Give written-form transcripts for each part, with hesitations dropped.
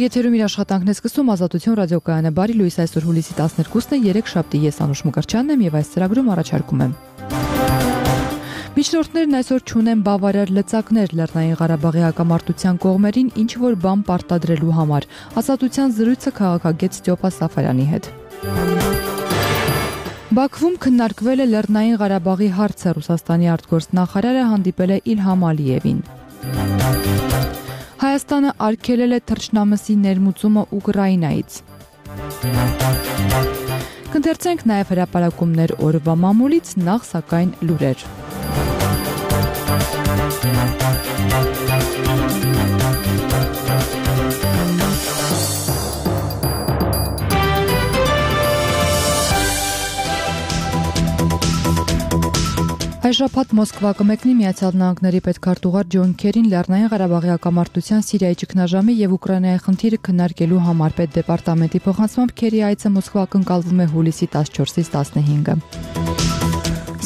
Եթերում իր աշխատանքն է սկսում Ազատություն ռադիոկայանը։ Բարի լույս, այսօր հուլիսի 12-ն է, 3 շաբթի, ես Անուշ Մկրտչյանն եմ եւ այս ծրագրում առաջարկում եմ։ Միջնորդներն այսօր չունեն բավարար լծակներ Լեռնային Ղարաբաղի հակամարտության կողմերին ինչ որ բան պարտադրելու համար։ Ազատության զրույցը քաղաքագետ Ստյոպա Սաֆարյանի հետ։ Բաքվում քննարկվել է Լեռնային Ղարաբաղի հարցը, Ռուսաստանի արտգործնախարարը հանդիպել է Իլհամ Ալիևին։ Հայաստանը արգելել է թռչնամսի ներմուծումը Ուկրաինայից։ Կընթերցենք նաև հրապարակումներ օրվա մամուլից, նախ սակայն լուրեր։ Այս շաբաթ Մոսկվա կմեկնի Միացյալ Նահանգների պետքարտուղար Ջոն Քերին Լեռնային Ղարաբաղի հակամարտության Սիրիայի ճգնաժամի եւ Ուկրաինայի խնդիրը քննարկելու համար պետդեպարտամենտի փոխանցմամբ Քերի այցը Մոսկվա կընկալվում է հուլիսի 14-ից 15-ը։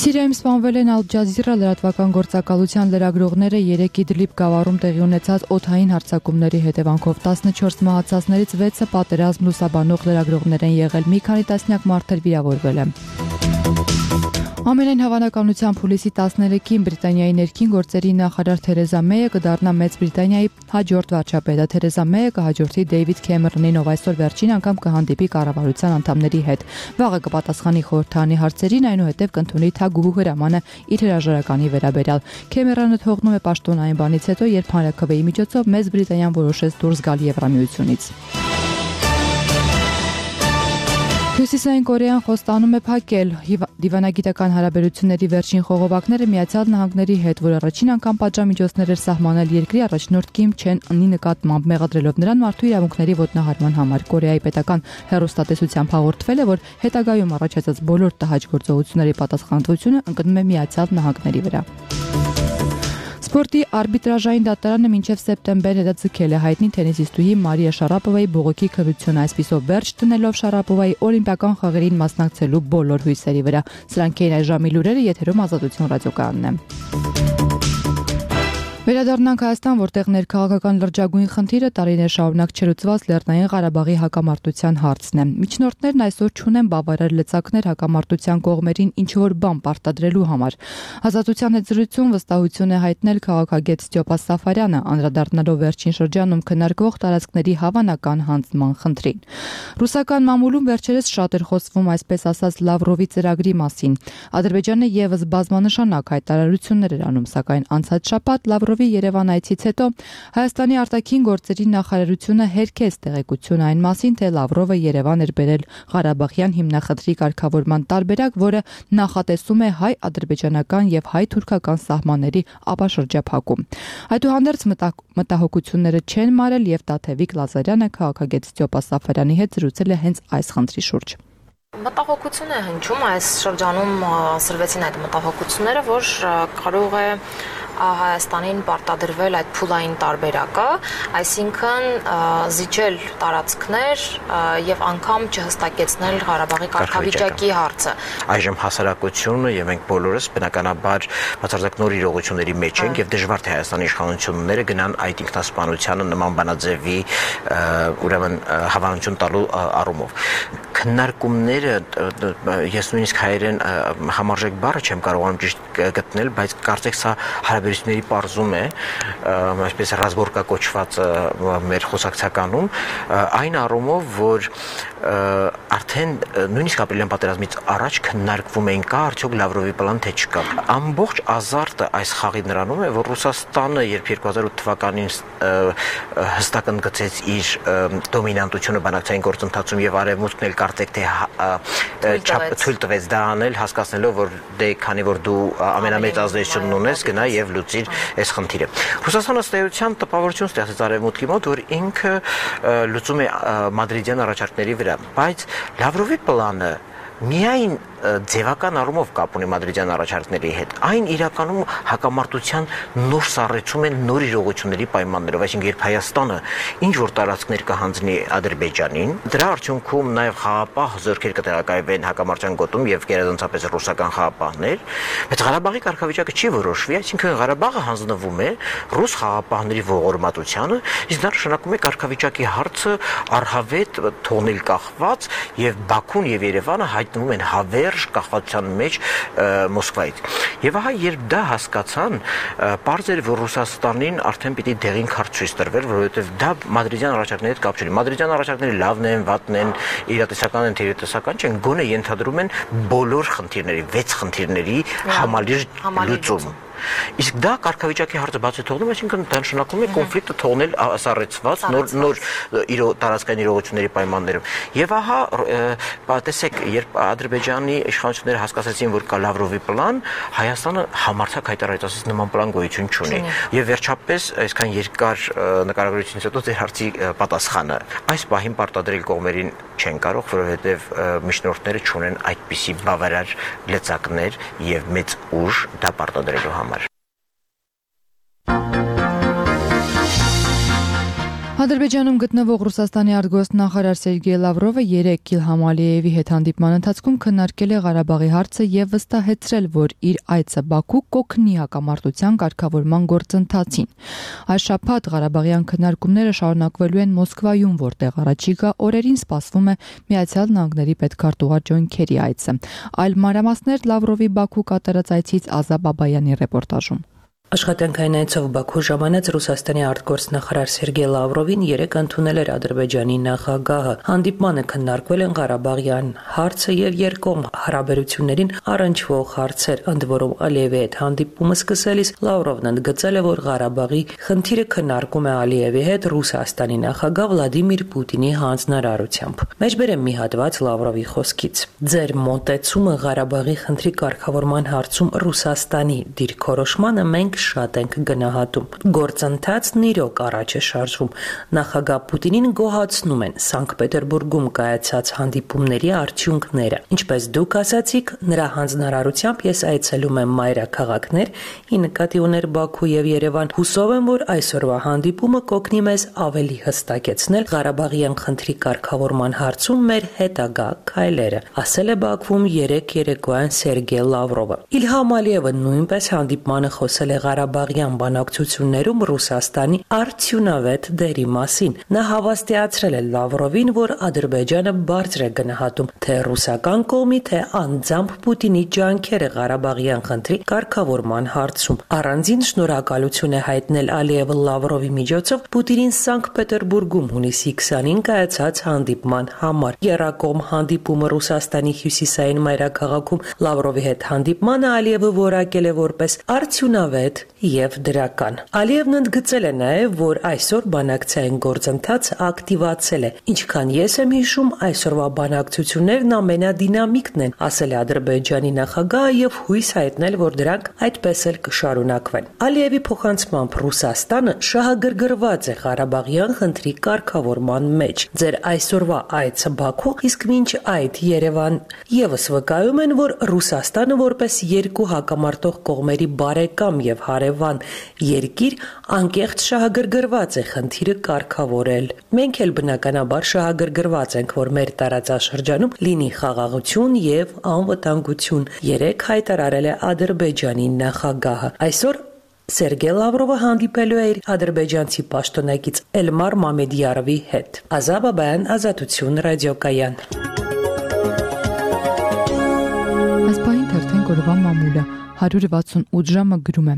Սիրիայում սպանվել են Ալ Ջազիրա լրատվական գործակալության լրագրողները 3 Իդլիբ գավառում տեղի ունեցած օդային հարձակումների հետևանքով 14 մահացածներից 6-ը պատերազմ լուսաբանող լրագրողներ են եղել, մի քանի տասնյակ մարդեր վիրավորվել են։ Ամենայն հավանականությամբ հուլիսի 13-ին Բրիտանիայի ներքին գործերի նախարար Թերեզա Մեյը կդառնա Մեծ Բրիտանիայի հաջորդ վարչապետը։ Թերեզա Մեյը կհաջորդի Դեյվիդ Քեմերոնին, ով այսօր վերջին անգամ կհանդիպի կառավարության անդամների հետ։ Վաղը կպատասխանի խորհրդարանի հարցերին, այնուհետև կընդունի թագուհու հրամանը իր հրաժարականի վերաբերյալ։ Քեմերոնը թողնում է պաշտոն այն բանից հետո, երբ հանրաքվեի միջոցով Մեծ Բրիտանիան որոշեց դուրս գալ Եվրամիությունից։ Հյուսիսային Կորեան խոստանում է փակել դիվանագիտական հարաբերությունների վերջին խողովակները Միացյալ Նահանգների հետ, որ առաջին անգամ պատժամիջոցներ էր սահմանել երկրի առաջնորդ Կիմ Չեն Ընի նկատմամբ, մեղադրելով նրան մարդու իրավունքների ոտնահարման համար։ Կորեայի պետական հեռուստատեսությամբ հաղորդվել է, որ հետագայում առաջացած բոլոր տհաճ գործողությունների պատասխանատվությունը ընկնում է Միացյալ Նահանգների վրա։ Սպորտի արբիտրաժային դատարանը մինչև սեպտեմբեր հետաձգել է հայտնի թենիսիստուհի Մարիա Շարապովայի բողոքի քրությունը, այսպիսով վերջ տնելով Շարապովայի օլիմպիական խաղերին մասնակցելու բոլոր հույսերի վրա։ Սրանք էին այս ժամի լուրերը, եթերում Ազատություն ռադիոկայանն է։ Վերադառնանք Հայաստան, որտեղ ներքաղաքական լրջագույն խնդիրը տարիներ շարունակ չլուծված Լեռնային Ղարաբաղի հակամարտության հարցն է։ Միջնորդներն այսօր չունեն բավարար լծակներ հակամարտության կողմերին ինչ որ բան պարտադրելու համար։ Ազատության հետ զրույցում վստահություն է հայտնել քաղաքագետ Ստյոպա Սաֆարյանը, անդրադառնալով վերջին շրջանում քննարկվող տարածքների հավանական հանձնման խնդրին։ Ռուսական մամուլում վերջերս շատ էր խոսվում, այսպես ասած, Լավրովի ծրագրի մասին։ Ադրբեջանը եւս բազմանշանակ հայտարարություններ էր անում, սակայն անցած շաբաթ Լավրովի Երևան այցից հետո Հայաստանի արտաքին գործերի նախարարությունը հերքեց տեղեկություն այն մասին, թե Լավրովը Երևան էր բերել Ղարաբաղյան հիմնախնդրի կարգավորման տարբերակ, որը նախատեսում է հայ-ադրբեջանական եւ հայ-թուրքական սահմանների ապաշրջափակում։ Այդուհանդերձ մտահոգությունները չեն մարել եւ Տաթևիկ Լազարյանը քաղաքագետ Ստյոպա Սաֆարյանի հետ զրուցել է հենց այս խնդրի շուրջ։ Մտահոգություն է հնչում, այս շրջանում սրվեցին այդ մտահոգությունները, որ կարող է Հայաստանին պարտադրվել այդ փուլային տարբերակը, այսինքն զիջել տարածքներ եւ անգամ չհստակեցնել Ղարաբաղի կարգավիճակի հարցը։ Այժմ հասարակությունը եւ մենք բոլորս բնականաբար բացարձակ նոր իրողությունների մեջ ենք եւ դժվար թե Հայաստանի իշխանությունները գնան այդ ինքնասպանությանը նման բանաձևի ուրեմն հավանություն տալու առումով։ Քննարկումները ես նույնիսկ հայերեն համարժեք բառը չեմ կարողանում ճիշտ գտնել, բայց կարծեք սա հարաբերությունների պարզում է, այսպես ռազմորկա կոչված մեր խոսակցականում, այն առումով, որ արդեն նույնիսկ ապրիլյան պատերազմից առաջ քննարկվում էին կա արդյոք Լավրովի պլան թե չկա։ Ամբողջ ազարտը այս խաղի նրանում է, որ Ռուսաստանը, երբ 2008 թվականին հստակ ընդգծեց իր դոմինանտությունը բանակցային գործընթացում եւ արևմուտքն էլ կարծեք թե թույլ տվեց դա անել, հասկացնելով, որ դե քանի որ դու ամենամեծ ազդեցությունն ունես, գնա եւ լուծիր այս խնդիրը։ Ռուսաստանը ըստ էության տպավորություն ստեղծեց արևմուտքի մոտ, որ ինքը լուծում է մադրիդյան առաջարկների վրա, բայց Լավրովի պլանը միայն ձևական առումով կապ ունի մադրիդյան առաջարկների հետ։ Այն իրականում հակամարտության նոր սառեցում են նոր իրողությունների պայմաններով, այսինքն երբ Հայաստանը ինչ որ տարածքներ կհանձնի Ադրբեջանին, դրա արդյունքում նաև խաղապահ զորքեր կտեղակայվեն հակամարտության գոտում եւ գերազանցապես ռուսական խաղապահներ, բայց Ղարաբաղի կարգավիճակը չի որոշվի, այսինքն Ղարաբաղը հանձնվում է ռուս խաղապահների ողորմատությանը, իսկ դա նշանակում է կարգավիճակի հարցը առհավետ թողնել կախված եւ Բաքուն եւ Երևանը հայտնվում են հավերժ կախվածության մեջ Մոսկվայից։ Եվ ահա երբ դա հասկացան, պարզ էր, որ Ռուսաստանին արդեն պիտի դեղին քարտ ցույց տրվեր, որովհետեւ դա մադրիդյան առաջարկների հետ կապ չունի։ Մադրիդյան առաջարկները լավն են, վատն են, իրատեսական են, թերատեսական չեն, գոնե ենթադրում են բոլոր խնդիրների, 6 խնդիրների համալիր լուծում։ Իսկ դա կարգավիճակի հարցը բացի թողնում, այսինքն դա նշանակում է կոնֆլիկտը թողնել սառեցված նոր տարածքային իրողությունների պայմաններով։ Եվ ահա տեսեք, երբ Ադրբեջանի իշխանությունները հասկացեցին, որ կա Լավրովի պլան, Հայաստանը համարձակ հայտարարեց, ասես նման պլան գոյություն չունի։ Եվ վերջապես այսքան երկար նկարագրությունից հետո ձեր հարցի պատասխանը այս պահին պարտադրել կողմերին չեն կարող, որովհետև միջնորդները չունեն այդպիսի բավարար լծակներ եւ մեծ ուժ դա պարտադրելու համար։ Ադրբեջանում գտնվող Ռուսաստանի արտգործնախարար Սերգեյ Լավրովը 3 Իլհամ Ալիևի հետ հանդիպման ընթացքում քննարկել է Ղարաբաղի հարցը եւ վստահեցրել, որ իր այցը Բաքու կօգնի հակամարտության կարգավորման գործընթացին։ Այս շաբաթ Ղարաբաղյան քննարկումները շարունակվելու են Մոսկվայում, որտեղ առաջիկա օրերին սպասվում է Միացյալ Նահանգների պետքարտուղար Ջոն Քերի այցը։ Այլ մանրամասներ Լավրովի Բաքու կատարած այցից Ազա Բաբայանի ռեպորտաժում։ Աշխատանքային այցով Բաքու ժամանած Ռուսաստանի արտգործնախարար Սերգեյ Լավրովին 3 ընդունել էր Ադրբեջանի նախագահը։ Հանդիպմանը քննարկվել են Ղարաբաղյան հարցը եւ երկկողմ հարաբերություններին առնչվող հարցեր, ընդ որում Ալիևի հետ հանդիպումը սկսելիս Լավրովն ընդգծել է, որ Ղարաբաղի խնդիրը քննարկում է Ալիևի հետ Ռուսաստանի նախագահ Վլադիմիր Պուտինի հանձնարարությամբ։ Մեջբերեմ մի հատված Լավրովի խոսքից. Ձեր մոտեցումը Ղարաբաղի խնդրի կարգավորման հարցում Ռուսաստանի դիրքորոշմանը մենք շատ ենք գնահատում։ Գործընթացն իրոք առաջ է շարժվում։ Նախագահ Պուտինին գոհացնում են Սանկտ Պետերբուրգում կայացած հանդիպումների արդյունքները։ Ինչպես դուք ասացիք, նրա հանձնարարությամբ ես այցելում եմ մայրաքաղաքներ, ի նկատի ուներ Բաքու եւ Երևան։ Հուսով եմ, որ այսօրվա հանդիպումը կօգնի մեզ ավելի հստակեցնել Ղարաբաղյան խնդրի կարգավորման հարցում մեր հետագա քայլերը, ասել է Բաքվում 3 երեկոյան Սերգեյ Լավրովը։ Իլհամ Ալիևը նույնպես հանդիպմանը խոսել է Ղարաբաղյան բանակցություններում Ռուսաստանի արդյունավետ դերի մասին։ Նա հավաստիացրել է Լավրովին, որ Ադրբեջանը բարձր է գնահատում թե ռուսական կողմի, թե անձամբ Պուտինի ջանքերը Ղարաբաղյան խնդրի կարգավորման հարցում։ Առանձին շնորհակալություն է հայտնել Ալիևը Լավրովի միջոցով Պուտինին Սանկտ Պետերբուրգում հունիսի 20-ին կայացած հանդիպման համար։ Եռակողմ հանդիպումը Ռուսաստանի հյուսիսային մայրաքաղաքում Լավրովի հետ հանդիպմանը Ալիևը որակել է որպես արդյունավետ եւ դրական։ Ալիևն ընդգծել է նաեւ, որ այսօր բանակցային գործընթացը ակտիվացել է։ Ինչքան ես եմ հիշում, այսօրվա բանակցություններն ամենադինամիկն են, ասել է Ադրբեջանի նախագահը եւ հույս հայտնել, որ դրանք այդպես էլ կշարունակվեն։ Ալիևի փոխանցմամբ Ռուսաստանը շահագրգռված է Ղարաբաղյան խնդրի կարգավորման մեջ։ Ձեր այսօրվա այցը Բաքու, իսկ մինչ այդ Երևան եւս վկայում են, որ Ռուսաստանը որպես երկու հակամարտող կողմերի բարեկամ եւ հարևան երկիր անկեղծ շահագրգռված է խնդիրը կարգավորել։ Մենք էլ բնականաբար շահագրգռված ենք, որ մեր տարածաշրջանում լինի խաղաղություն եւ անվտանգություն, երեք հայտարարել է Ադրբեջանի նախագահը։ Այսօր Սերգեյ Լավրովը հանդիպելու է իր ադրբեջանցի պաշտոնակից Էլմար Մամեդյարովի հետ։ Ազա Բաբայան, Ազատություն, ռադիոկայան։ Այս պահին թերթեն կորվա մամուլը 168 ժամը գրում է.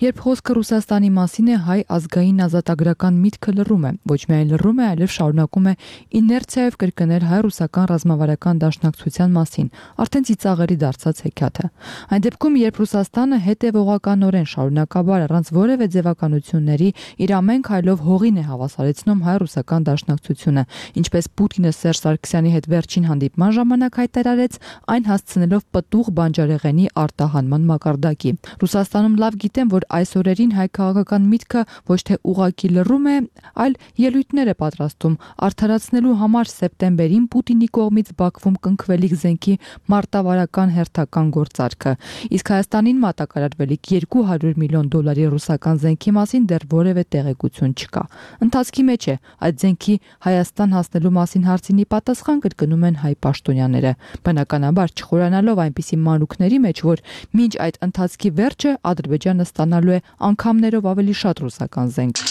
Երբ խոսքը Ռուսաստանի մասին է, հայ ազգային ազատագրական միտքը լռում է, ոչ միայն լռում է, այլև շարունակում է իներցիայով կրկնել հայ-ռուսական ռազմավարական դաշնակցության մասին, արդեն ծիծաղելի դարձած հեքիաթը։ Այն դեպքում, երբ Ռուսաստանը հետևողականորեն շարունակաբար առանց որևէ ձևականությունների իր ամեն քայլով հողին է հավասարեցնում հայ-ռուսական դաշնակցությունը, ինչպես Պուտինը Սերժ Սարգսյանի հետ վերջին հանդիպման ժամանակ հայտարարեց, այն հասցնելով պտուղ բանջարեղենի արտահանման մակարդակի։ Ռուսաստանում լավ գիտեն, որ այս օրերին հայ քաղաքական միտքը ոչ թե ուղղակի լռում է, այլ ելույթներ է պատրաստում արդարացնելու համար սեպտեմբերին Պուտինի կողմից Բաքվում կնքվելիք զենքի մարտավարական հերթական գործարքը։ Իսկ Հայաստանին մատակարարվելիք $200 միլիոն ռուսական զենքի մասին դեռ որևէ տեղեկություն չկա։ Ընթացքի մեջ է այդ զենքի Հայաստան հասնելու մասին հարցին պատասխան կրկնում են հայ պաշտոնյաները, բնականաբար չխորանալով այնպիսի մանրուքների մեջ, որ մինչ այդ ընթացքի վերջը Ադրբեջանը ստանալու է անգամներով ավելի շատ ռուսական զենք։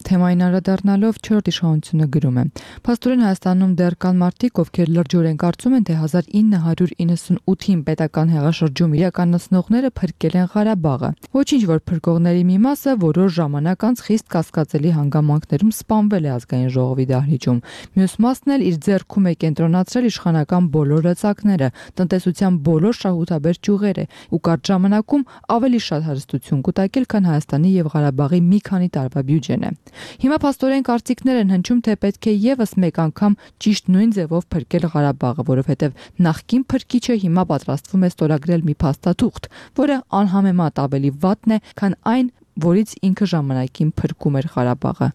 Թեմային անդրադառնալով 4 իշխանությունը գրում է. Փաստորեն Հայաստանում դեռ կան մարդիկ, ովքեր լրջորեն կարծում են, թե 1998-ին պետական հեղաշրջում իրականացնողները փրկել են Ղարաբաղը։ Ոչինչ, որ փրկողների մի մասը որոշ ժամանակ անց խիստ կասկածելի հանգամանքներում սպանվել է ազգային ժողովի դահլիճում։ Մյուս մասն էլ իր ձեռքում է կենտրոնացրել իշխանական բոլոր լծակները, տնտեսության բոլոր շահութաբեր ճյուղերը ու կարճ ժամանակում ավելի շատ հարստություն կուտակել, քան Հայաստանի եւ Ղարաբաղի մի քանի տարվա բյուջեն է։ Հիմա փաստորեն կարծիքներ են հնչում, թե պետք է եւս մեկ անգամ ճիշտ նույն ձևով փրկել Ղարաբաղը, որովհետեւ նախկին փրկիչը հիմա պատրաստվում է ստորագրել մի փաստաթուղթ, որը անհամեմատ ավելի վատն է, քան այն, որից ինքը ժամանակին փրկում էր Ղարաբաղը։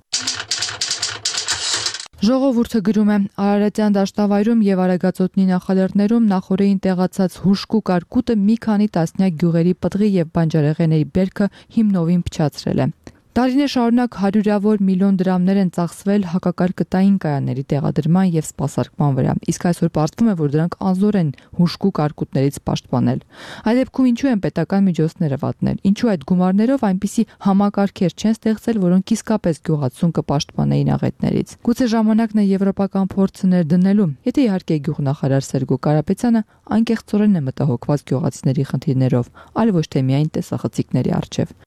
Ժողովուրդը գրում է. Արարատյան դաշտավայրում եւ Արագածոտնի նախալեռներում նախորդին տեղացած հուժկու կարկուտը մի քանի տասնյակ գյուղերի պտղի եւ բանջարեղենների բերքը հիմնովին փչացրել է։ Տարիներ շարունակ հարյուրավոր միլիոն դրամներ են ծախսվել հակակարկտային կայանների տեղադրման եւ սպասարկման վրա, իսկ այսօր պարզվում է, որ դրանք անզոր են հուժկու կարկուտներից պաշտպանել։ Այդ դեպքում ինչու են պետական միջոցները վատնել, ինչու այդ գումարներով այնպիսի համակարգեր չեն ստեղծել, որոնք իսկապես գյուղացուն կպաշտպանեին աղետներից։ Գուցե ժամանակն է եվրոպական փորձը ներդնելու, եթե իհարկե գյուղնախարար Սերգո Կարապետյանը անկեղծորեն է մտահոգված գյուղացիների խնդիրներով, այլ ոչ թե միայն տեսախցիկների առջև։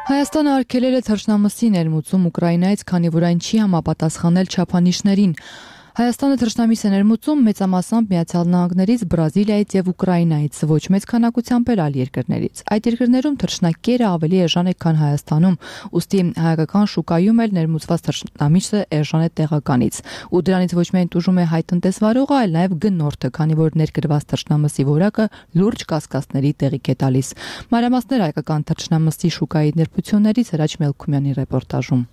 Հայաստանը արգելել է թռչնամսի ներմուծում Ուկրաինայից, քանի որ այն չի համապատասխանել չափանիշներին։ Հայաստանը թռչնամիս է ներմուծում մեծամասամբ Միացյալ Նահանգներից, Բրազիլիայից եւ Ուկրաինայից, ոչ մեծ քանակությամբ այլ երկրներից։ Այդ երկրներում թռչնակերը ավելի էժան է, քան Հայաստանում, ուստի հայկական շուկայում էլ ներմուծված թռչնամիսը էժան է տեղականից։ Ու դրանից ոչ միայն տուժում է հայ տնտեսվարողը, այլ նաեւ գնորդը, քանի որ ներկրված թռչնամսի որակը լուրջ կասկածների տեղիք է տալիս։ Մանրամասներ հայկական թռչնամսի շուկայի ներբություններից Հրաչ Մելքումյանի ռեպորտաժում։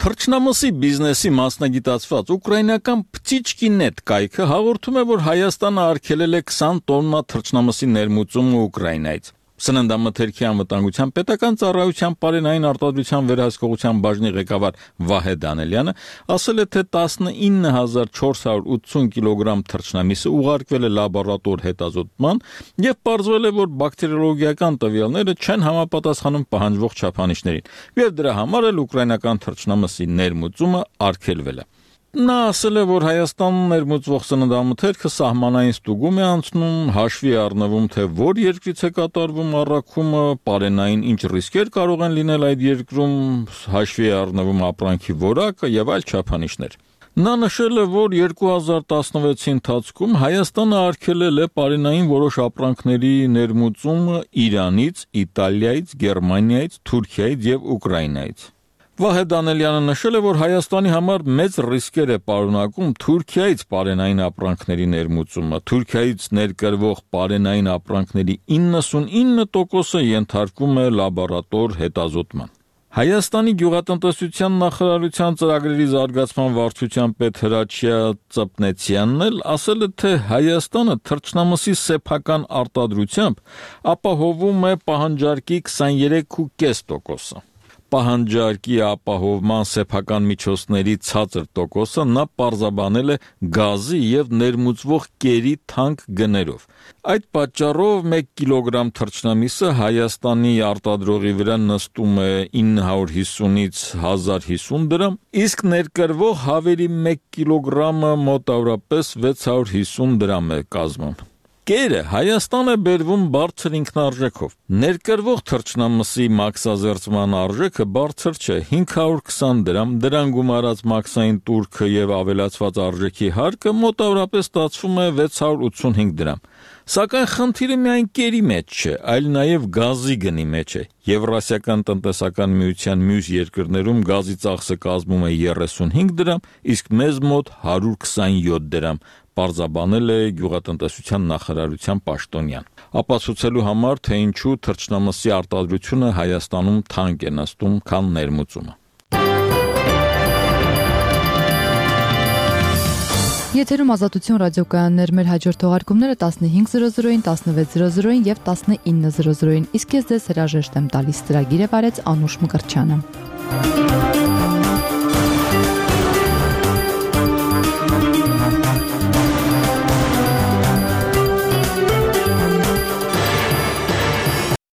Թռչնամսի բիզնեսի մասնագիտացված ուկրաինական Ptichki.net կայքը հաղորդում է, որ Հայաստանը արգելել է 20 տոննա թռչնամսի ներմուծումը Ուկրաինայից։ Սննդամթերքի անվտանգության պետական ծառայության պարենային արտադրության վերահսկողության բաժնի ղեկավար Վահե Դանելյանը ասել է, թե 19480 կիլոգրամ թռչնամիսը ուղարկվել է լաբորատոր հետազոտման եւ պարզվել է, որ բակտերիոլոգիական տվյալները չեն համապատասխանում պահանջվող չափանիշներին, եւ դրա համար էլ ուկրաինական թռչնամսի ներմուծումը արգելվել է։ Նա ասել է, որ Հայաստանում ներմուծվող սննդամթերքը սահմանային ստուգում է անցնում, հաշվի առնվում, թե որ երկրից է կատարվում առաքումը, պարենային ինչ ռիսկեր կարող են լինել այդ երկրում, հաշվի է առնվում ապրանքի որակը եւ այլ չափանիշներ։ Նա նշել է, որ 2016-ի ընթացքում Հայաստանը արգելել է պարենային որոշ ապրանքների ներմուծումը Իրանից, Իտալիայից, Գերմանիայից, Թուրքիայից եւ Ուկրաինայից։ Վահե Դանելյանը նշել է, որ Հայաստանի համար մեծ ռիսկեր է պարունակում Թուրքիայից պարենային ապրանքների ներմուծումը։ Թուրքիայից ներկրվող պարենային ապրանքների 99%-ը ենթարկվում է լաբորատոր հետազոտման։ Հայաստանի գյուղատնտեսության նախարարության ծրագրերի զարգացման վարչության պետ Հրաչյա Ծպնեցյանն էլ ասել է, թե Հայաստանը թռչնամսի սեփական արտադրությամբ ապահովում է պահանջարկի 23.5%-ը։ Պահանջարկի ապահովման սեփական միջոցների ցածր տոկոսը նա պարզաբանել է գազի եւ ներմուծվող կերի թանկ գներով։ Այդ պատճառով 1 կիլոգրամ թռչնամիսը Հայաստանի արտադրողի վրա նստում է 950-ից 1050 դրամ, իսկ ներկրվող հավերի 1 կիլոգրամը մոտավորապես 650 դրամ է կազմում։ Կերը Հայաստան է բերվում բարձր ինքնարժեքով։ Ներկրվող թռչնամսի մաքսազերծման արժեքը բարձր չէ՝ 520 դրամ, դրան գումարած մաքսային տուրքը եւ ավելացված արժեքի հարկը մոտավորապես ստացվում է 685 դրամ։ Սակայն խնդիրը միայն կերի մեջ չէ, այլ նաև գազի գնի մեջ է։ Եվրասիական տնտեսական միության մյուս երկրներում գազի ծախսը կազմում է 35 դրամ, իսկ մեզ մոտ 127 դրամ, պարզաբանել է գյուղատնտեսության նախարարության պաշտոնյան։ Ապացուցելու համար, թե ինչու թռչնամսի արտադրությունը Հայաստանում թանկ է նստում, քան ներմուծումը։ Եթերում Ազատություն ռադիոկայաններ, մեր հաջորդ թողարկումները 15:00-ին, 16:00-ին եւ 19:00-ին, իսկ ես ձեզ հրաժեշտ եմ տալիս։ Ծրագիրը վարեց Անուշ Մկրտչյանը։